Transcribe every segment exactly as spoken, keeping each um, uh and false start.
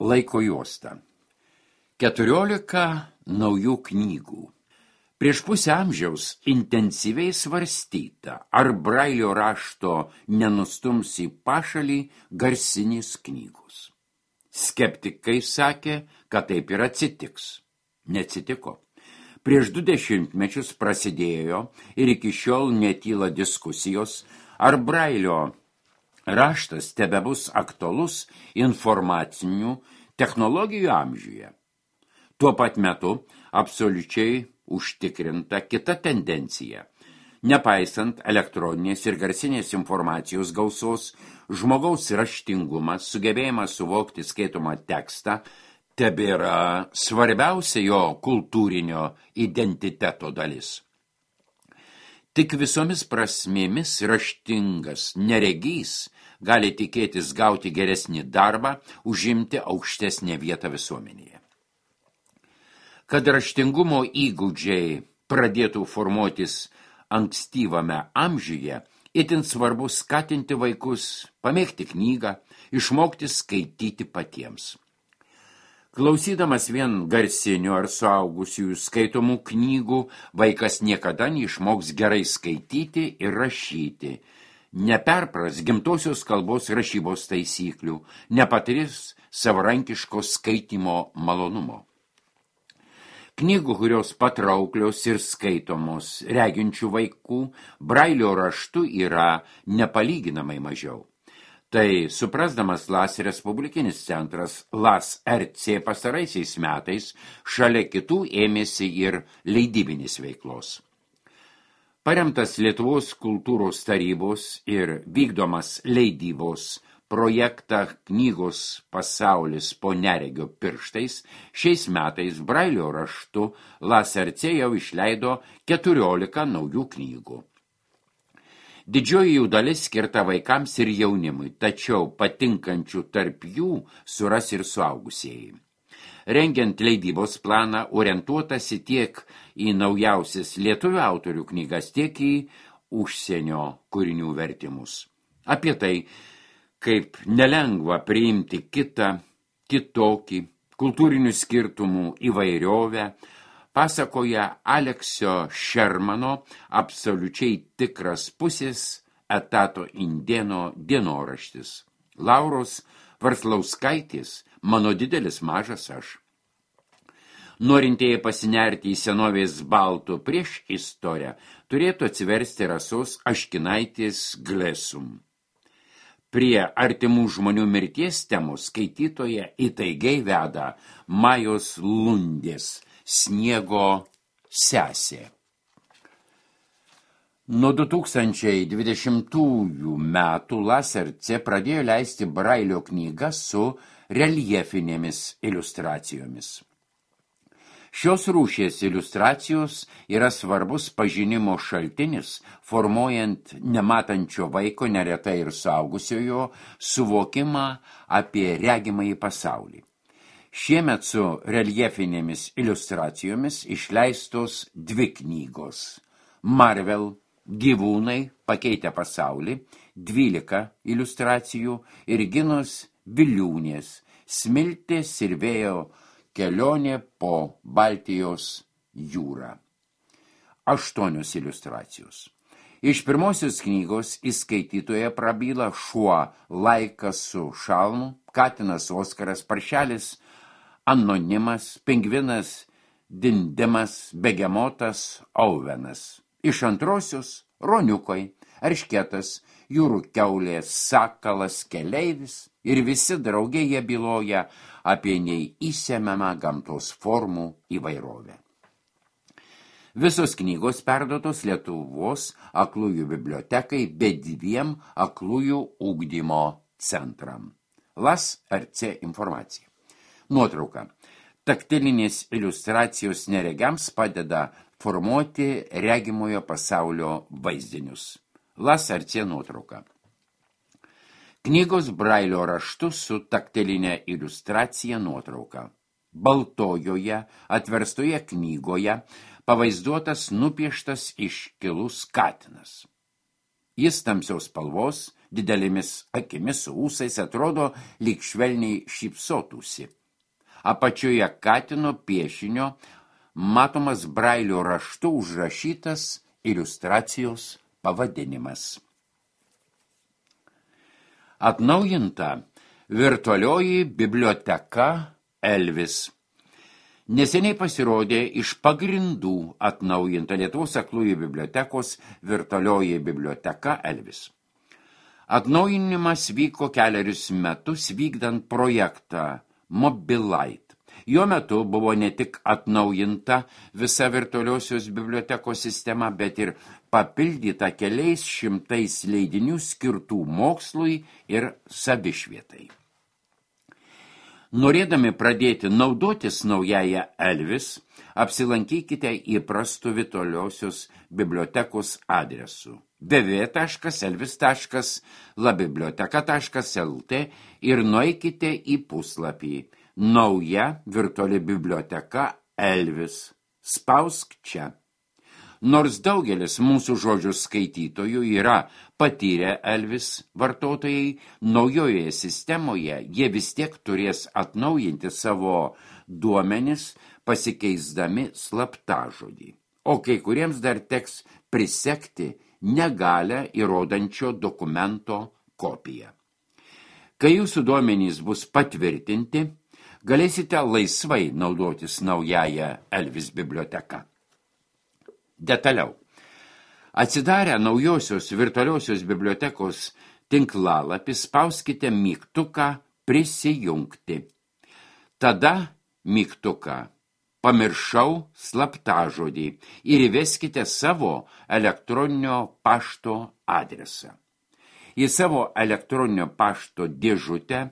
Laiko juosta. Keturiolika naujų knygų. Prieš pusę amžiaus intensyviai svarstyta, ar Brailio rašto nenustums į pašalį garsinės knygos. Skeptikai sakė, kad taip ir atsitiks. Neatsitiko. Prieš du dešimtmečius prasidėjo ir iki šiol netyla diskusijos, ar Brailio raštas tebebus aktualus informacinių technologijų amžiuje. Tuo pat metu absoliučiai užtikrinta kita tendencija. Nepaisant elektroninės ir garsinės informacijos gausos, žmogaus raštingumas, sugebėjimas suvokti skaitomą tekstą, tebėra svarbiausia jo kultūrinio identiteto dalis. Tik visomis prasmėmis raštingas neregys gali tikėtis gauti geresnį darbą, užimti aukštesnę vietą visuomenėje. Kad raštingumo įgūdžiai pradėtų formuotis ankstyvame amžiuje, itin svarbu skatinti vaikus pamėgti knygą, išmokti skaityti patiems. Klausydamas vien garsinių ar suaugusiųjų skaitomų knygų, vaikas niekada neišmoks gerai skaityti ir rašyti, neperpras gimtosios kalbos rašybos taisyklių, nepatirs savarankiško skaitymo malonumo. Knygų, kurios patrauklios ir skaitomos reginčių vaikų, Brailio raštu yra nepalyginamai mažiau. Tai suprasdamas Las Respublikinis centras Las R C pastaraisiais metais šalia kitų ėmėsi ir leidybinės veiklos. Paremtas Lietuvos kultūros tarybos ir vykdomas leidybos projektą knygos Pasaulis po neregio pirštais, šiais metais Brailio raštu Las R C jau išleido keturiolika naujų knygų. Didžioji jų dalis skirta vaikams ir jaunimui, tačiau patinkančių tarp jų suras ir suaugusieji. Rengiant leidybos planą, orientuotasi tiek į naujausias lietuvių autorių knygas, tiek į užsienio kūrinių vertimus. Apie tai, kaip nelengva priimti kitą, kitokį, kultūrinių skirtumų įvairiovę, pasakoja Aleksio Šermano absoliučiai tikras pusės etato indėno dienoraštis. Lauros Varslauskaitės Mano didelis mažas aš. Norintieji pasinerti į senovės baltų prieš istoriją turėtų atsiversti Rasos Aškinaitės Glesum. Prie artimų žmonių mirties temų skaitytoje įtaigiai veda Majos Lundės Sniego sesė. Nuo du tūkstančiai dvidešimtųjų metų Las R C pradėjo leisti Brailio knygas su reljefinėmis iliustracijomis. Šios rūšies iliustracijos yra svarbus pažinimo šaltinis, formuojant nematančio vaiko, neretai ir suaugusiojo, suvokimą apie regimąjį pasaulį. Šiemet su reljefinėmis iliustracijomis išleistos dvi knygos. Marvel Gyvūnai pakeitę pasaulį, dvylika iliustracijų ir Ginos Viliūnės Smiltės ir vėjo kelionė po Baltijos jūrą. Aštuonios iliustracijos. Iš pirmosios knygos į skaitytoje prabyla šuo Laikas su šalmu, katinas Oskaras, paršelis Anonimas, pingvinas Dindimas, begemotas Auvenas. Iš antrosios ruoniukai, eršketas, jūrų kiaulė, sakalas, keleivis ir visi drauge jie byloja apie neįsemiamą gamtos formų įvairovę. Visos knygos perduotos Lietuvos aklųjų bibliotekai be dviem aklųjų ugdymo centram. Las R C informacija. Nuotrauka. Taktilinės iliustracijos neregiams padeda formuoti regimojo pasaulio vaizdinius. Las R C nuotrauka. Knygos Brailio raštu su taktilinė iliustracija nuotrauka. Baltojoje atverstoje knygoje pavaizduotas nupieštas iškilus katinas. Jis tamsiaus spalvos, didelėmis akimis su ūsais, atrodo lyg švelniai šypsotųsi. Apačioje katino piešinio matomas brailio raštu užrašytas iliustracijos pavadinimas. Atnaujinta virtualioji biblioteka Elvis. Neseniai pasirodė iš pagrindų atnaujinta Lietuvos aklųjų bibliotekos virtualioji biblioteka Elvis. Atnaujinimas vyko kelerius metus vykdant projektą Mobilite. Jo metu buvo ne tik atnaujinta visa virtualiosios bibliotekos sistema, bet ir papildyta keliais šimtais leidinių skirtų mokslui ir savišvietai. Norėdami pradėti naudotis naująją Elvis, apsilankykite įprastu virtualiosios bibliotekos adresu w w w taškas elvis taškas labiblioteka taškas l t ir nueikite į puslapį Nauja virtuali biblioteka Elvis. Spausk čia. Nors daugelis mūsų žodžių skaitytojų yra patyrę Elvis vartotojai, naujoje sistemoje jie vis tiek turės atnaujinti savo duomenis, pasikeisdami slaptažodį. O kai kuriems dar teks prisekti negalę įrodančio dokumento kopiją. Kai jūsų duomenys bus patvirtinti, galėsite laisvai naudotis naująją Elvis biblioteką. Detaliau. Atsidarę naujosios virtualiosios bibliotekos tinklalapį, spauskite mygtuką prisijungti. Tada mygtuką pamiršau slaptažodį ir įveskite savo elektroninio pašto adresą. Į savo elektroninio pašto dėžutę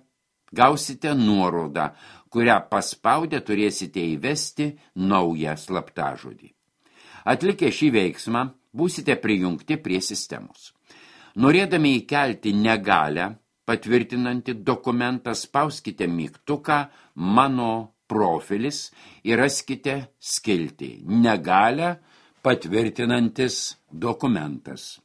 gausite nuorodą, kurią paspaudę turėsite įvesti naują slaptažodį. Atlikę šį veiksmą, būsite prijungti prie sistemos. Norėdami įkelti negalę, patvirtinantį dokumentą, spauskite mygtuką Mano profilis ir raskite skiltį Negalę patvirtinantis dokumentas.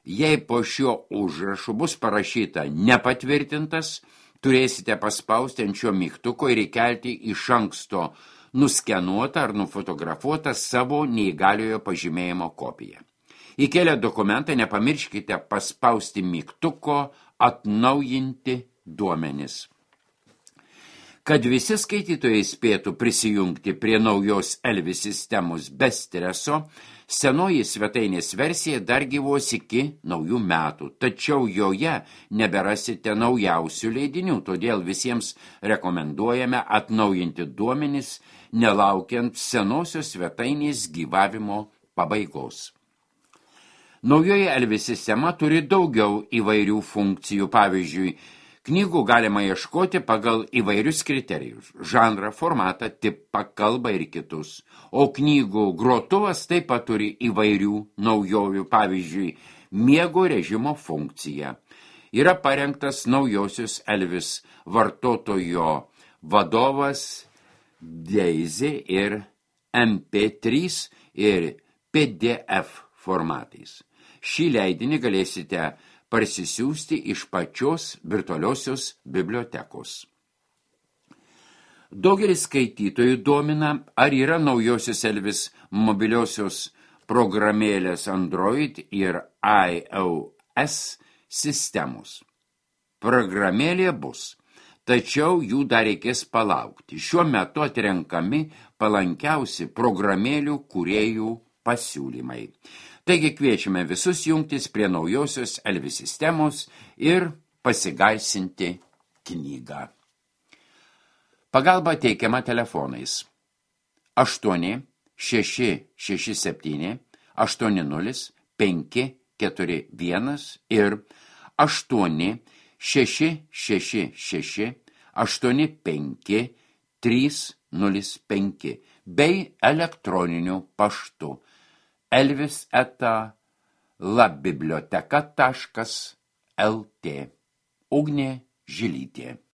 Jei po šiuo užrašu bus parašyta nepatvirtintas, turėsite paspausti ant šio mygtuko ir įkelti iš anksto nuskenuotą ar nufotografuotą savo neįgaliojo pažymėjimo kopiją. Įkelę dokumentą nepamirškite paspausti mygtuko Atnaujinti duomenis. Kad visi skaitytojai spėtų prisijungti prie naujos Elvis sistemos be streso, senoji svetainės versija dar gyvuos iki naujų metų, tačiau joje neberasite naujausių leidinių, todėl visiems rekomenduojame atnaujinti duomenis, nelaukiant senosios svetainės gyvavimo pabaigos. Naujoji Elvis sistema turi daugiau įvairių funkcijų, pavyzdžiui, knygų galima ieškoti pagal įvairius kriterijus – žanrą, formatą, tipą, kalbą ir kitus. O knygų grotuvas taip pat turi įvairių naujovių, pavyzdžiui, miego režimo funkcija. Yra parengtas naujosios Elvis vartotojo vadovas Daisy ir M P trys ir P D F formatais. Šį leidinį galėsite parsisiųsti iš pačios virtualiosios bibliotekos. Daugelis skaitytojų domina, ar yra naujosios Elvis mobiliosios programėlės Android ir iOS sistemos. Programėlė bus, tačiau jų dar reikės palaukti. Šiuo metu atrenkami palankiausi programėlių kūrėjų pasiūlymai. Taigi kviečiame visus jungtis prie naujosios Elvis sistemos ir pasigarsinti knygą. Pagalba teikiama telefonais aštuoni šeši šeši septyni aštuoni nulis penki keturi vienas ir aštuoni šeši šeši šeši aštuoni penki trys nulis penki bei elektroniniu paštu elvis eta labiblioteka taškas l t. Ugnė Žilytė.